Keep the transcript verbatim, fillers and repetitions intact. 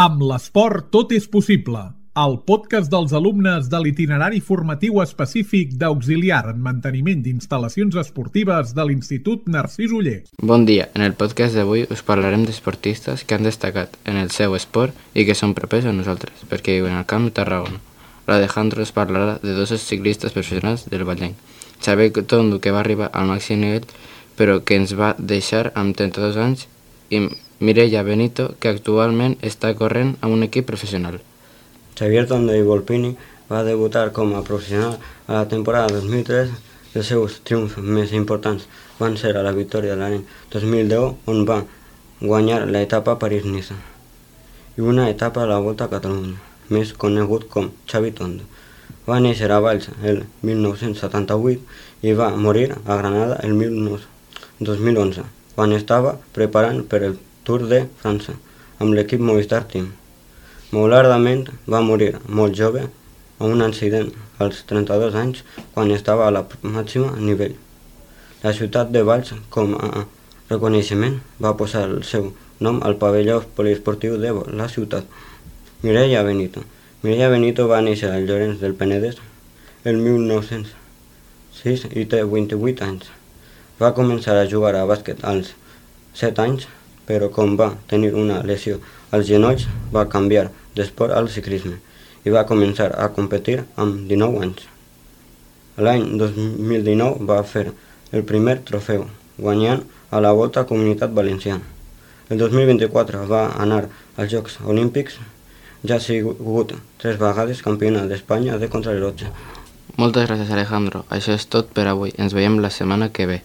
Amb l'esport tot és possible. El podcast dels alumnes de l'itinerari formatiu específic d'auxiliar en manteniment d'instal·lacions esportives de l'Institut Narcís Oller. Bon dia, en el podcast d'avui us parlarem d'esportistes que han destacat en el seu esport i que són propers a nosaltres, perquè viuen al Camp de Tarragona. L'Alejandro es parlarà de dos ciclistes professionals del Vallenc. Xavier Tondo, que va arribar al màxim nivell, però que ens va deixar amb trenta-dos anys, i Mireia Benito, que actualment està corrent amb un equip professional. Xavier Tondo i Volpini va debutar com a professional a la temporada dos mil tres. Els seus triomfs més importants van ser a la victòria de l'any dos mil deu, on va guanyar l'etapa París-Niça, i una etapa a la Volta a Catalunya, més conegut com Xavi Tondo. Va néixer a Valls el mil nou-cents setanta-vuit i va morir a Granada el dos mil onze, quan estava preparant per el Tour de França amb l'equip Movistar Team. Malauradament va morir molt jove a un accident als trenta-dos anys, quan estava a la màxima nivell. La ciutat de Valls, com a reconeixement, va posar el seu nom al pavelló poliesportiu de la ciutat. Mireia Benito. Mireia Benito va néixer a Llorenç del Penedès el mil nou-cents sis i té vint-i-vuit anys. Va començar a jugar a bàsquet als set anys, però com va tenir una lesió als genolls, va canviar d'esport al ciclisme i va començar a competir amb dinou anys. L'any dos mil dinou va fer el primer trofeu, guanyant a la Volta a Comunitat Valenciana. El dos mil vint-i-quatre va anar als Jocs Olímpics. Ja ha sigut tres vegades campionat d'Espanya de contrarellotge. Moltes gràcies, Alejandro. Això és tot per avui. Ens veiem la setmana que ve.